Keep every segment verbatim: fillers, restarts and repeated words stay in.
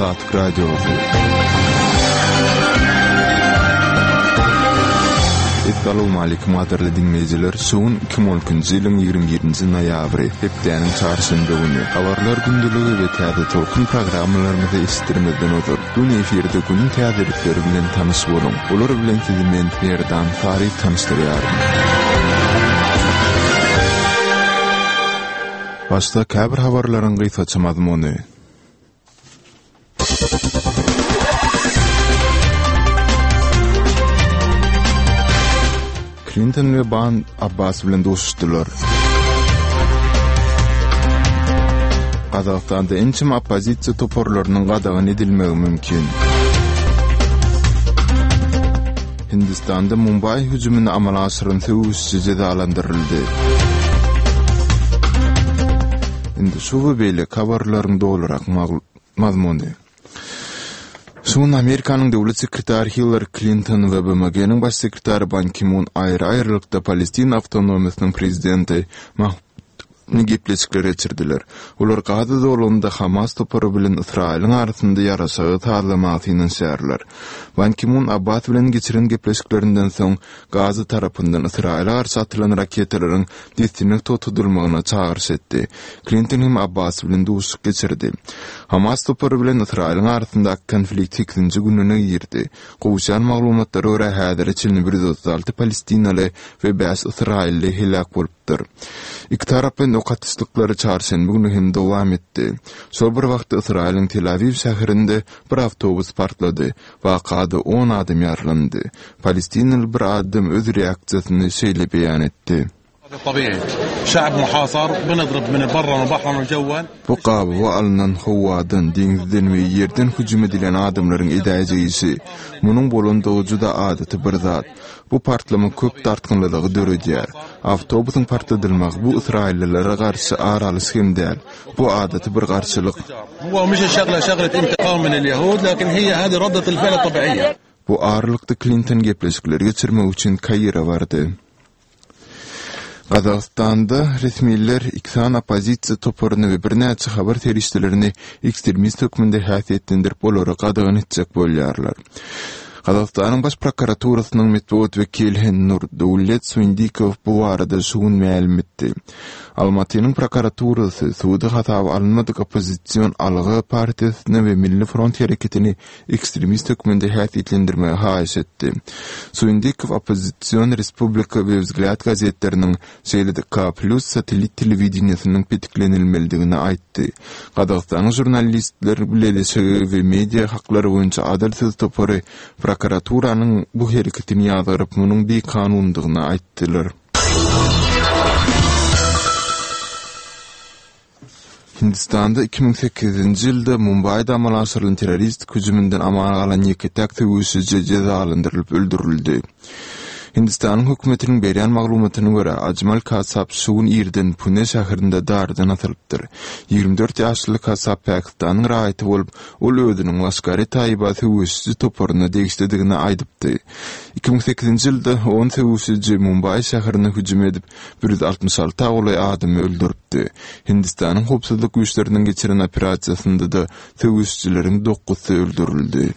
Azatlyk Radiosy. Essalawmaleýkim gadyrly diňleýjiler! Şu gün iki müň on ikinji ýylyň ýigrimi birinji noýabry, hepdäniň çarşenbe güni. Habarlar gündeligi we Täze tolkun programmalarymyzy eşitdirmezden ozal, göni efirde günüň täzelikleri bilen tanyş boluň. Olar bilen sizi men, Merdan Saryýew tanyşdyrýaryn. Başda käbir habarlaryň gysgaça mazmuny. Klinton we Ban Abbas bilen duşuşdylar. Gazagystanda ençeme oppozisiýa toparlarynyň gadagan edilmegi mümkin. Hindistanda Mumbaý hüjümini amala aşyran söweşiji jezalandyryldy. Indi şu we beýleki habarlaryň dolurak mazmuny. Şu gün Amerikanyň Döwlet sekretary Hillari Klinton we B M G-niň Baş sekretary Ban Ki-mun aýry-aýrylykda Palestina awtonomiýasynyň prezidenti Mahmud Abbasny gepleşikler geçirdiler. Olar Gaza zolagynda Hamas topary bilen Ysraýylyň arasynda ýaraşygy sazlamaga synanyşýarlar. Ban Ki-mun Abbas bilen geçiren gepleşiklerinden soň Gaza tarapyndan Ysraýyla garşy atylan raketalaryň dessine togtadylmagyna çagyryş etdi. Klinton hem Abbas bilen duşuşyk geçirdi. Hamas topary bilen Ysraýylyň arasyndaky konflikt sekizinji gününe girdi. Gowuşýan maglumatlara görä, häzire çenli bir ýüz otuz alty palestinaly we bäş ysraýylly heläk bolupdyr. Iki taraplaýyn ok atyşlyklary çarşenbe güni hem dowam etdi. Şol bir wagtda Ysraýylyň Tel-Awiw şäherinde bir awtobus partlady. Wakada on adam ýaralandy. Palestinaly bir adam öz reaksiýasyny şeýle beýan etdi. Bu gabawa alnan howadan, deňizden we ýerden hüjüm edilen adamlaryň edäýjek işi. Munuň bolandygy juda adaty bir zat. Bu partlama köp dartgynlylygy döredýär. Awtobusyň partladylmagy bu ysraýyllylara garşy ar alyş hem däl. Bu adaty bir garşylyk. Bu aralykda Klinton gepleşikleri geçirmek üçin Kaire bardy. Gazagystanda resmiler iki sany oppozisiýa toparyny we birnäçe habar serişdelerini ekstremist hökmünde häsiýetlendirip, olary gadagan etjek bolýarlar. Gazagystanyň Baş prokuraturasynyň metbugat wekili Nurdaulet Suindikow bu barada şu gün mälim etdi. Almatynyň prokuraturasy suda hasaba alynmadyk oppozision Alga partiýasyny we Milli front hereketini ekstremist hökmünde häsiýetlendirmegi haýyş etdi. Suindikow oppozision Respublika we Wzglýad gazetleriniň, şeýle-de K Plus satellit telewideniýesiniň petiklenilmelidigini aýtdy. Gazagystanyň Žurnalistler bileleşigi we Media haklary boýunça Adyl söz topary prokuraturanyň bu hereketini ýazgaryp, munuň bikanundygyny aýtdylar. Hindistanda iki müň sekizinji ýylda Mumbaýda amala aşyrylan terroristik hüjüminden aman galan ýeke-täk söweşiji jezalandyrylyp öldürildi. Hindistanyň hökümetiniň berýän maglumatyna görä, Ajmal Kasap şu gün irden Pune şäherinde dardan asylypdyr. Ýigrimi dört ýaşly Kasap Pakistanyň raýaty bolup, ol özüniň Laşkar-e-Taýba söweşiji toparyna degişlidigini aýdypdy. Iki müň sekizinji ýylda on söweşiji Mumbaý şäherine hüjüm edip, bir ýüz altmyş alta golaý adamy öldüripdi. Hindistanyň howpsuzlyk güýçleriniň geçiren operasiýasynda-da söweşijileriň dokuzsy öldürildi.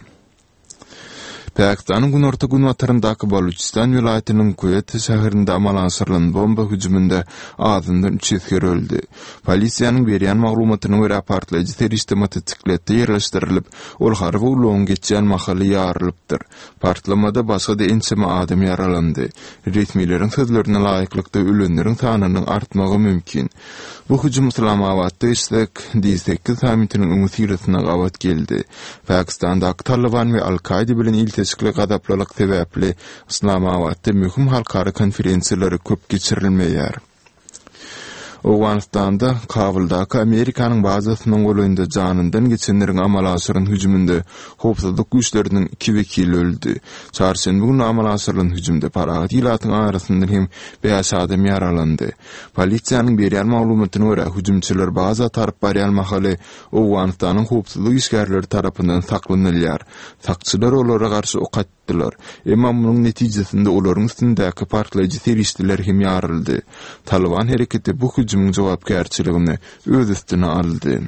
Pakistanyň günorta-günbataryndaky Baluçistan welaýatynyň Kuetta şäherinde amala aşyrylan bomba hüjüminde azyndan üç esger öldi. Polisiýanyň berýän maglumatyna görä, partlaýjy serişde motosikletde ýerleşdirilip, ol harby ulagyň geçýän mahaly ýarylypdyr. Partlamada başga-da ençeme adam ýaralandy. Resmileriň sözlerine laýyklykda, ölenleriň sanynyň artmagy mümkin. Bu hüjüm Yslamabatda geçjek D sekiz sammitiniň öňüsyrasyna gabat geldi. Pakistandaky Talyban we Al-Kaýda bilen ilteşikli gazaplylyk sebäpli Yslamabatda möhüm halkara konferensiýalary köp geçirilmeýär. Owganystanda Kabuldaky Amerikanyň bazasynyň golaýynda janyndan geçenleriň amala aşyran hüjüminde howpsuzlyk güýçleriniň iki wekili öldi. Çarşenbe güni amala aşyrylan hüjümde parahat ilatyň arasyndan hem bäş adam ýaralandy. Polisiýanyň berýän maglumatyna görä, hüjümçiler baza tarap barýan mahaly Owganystanyň howpsuzlyk işgärleri tarapyndan saklanylýar. Sakçylar olara garşy ok atdylar. Emma munuň netijesinde olaryň üstündäki partlaýjy serişdeler hem ýaryldy. Talyban hereketi bu hüjümiň jogapkärçiligini öz üstüne aldy.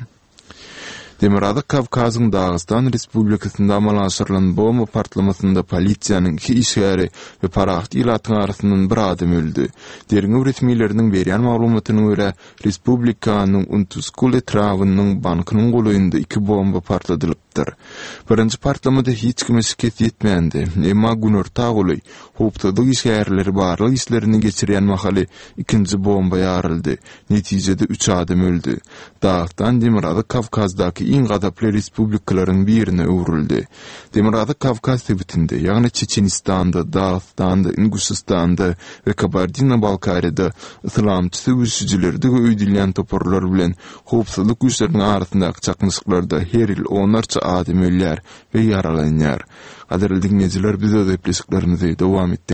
Demirgazyk Kawkazyň Dagystan Respublikasynda amala aşyrylan bomba partlamasynda polisiýanyň iki işgäri we parahat ilatyň arasyndan bir adam öldi. Derňew resmileriniň berýän maglumatyna görä, respublikanyň Untuskul etrabynyň bankynyň golaýynda iki bomba partladylypdyr. Birinji partlamada hiç kime şikes ýetmändi, emma günorta golaý, howpsuzlyk işgärleri barlag işlerini geçirýän mahaly ikinji bomba ýaryldy. Netijede üç adam öldi. Dagystan Demirgazyk Kawkazdaky iň gazaply respublikalaryň birine öwrüldi. Demirgazyk Kawkaz sebitinde, ýagny Çeçenistanda, Dagystanda, Inguşystanda we Kabardino-Balkariýada yslamçy söweşijilerdigi öýdülýän toparlar bilen howpsuzlyk güýçleriniň arasyndaky çaknyşyklarda her ýyl onlarça adam ölýär we ýaralanýar. Gadyrly diňleýjiler, biz öz gepleşiklerimizi dowam etdirýäris.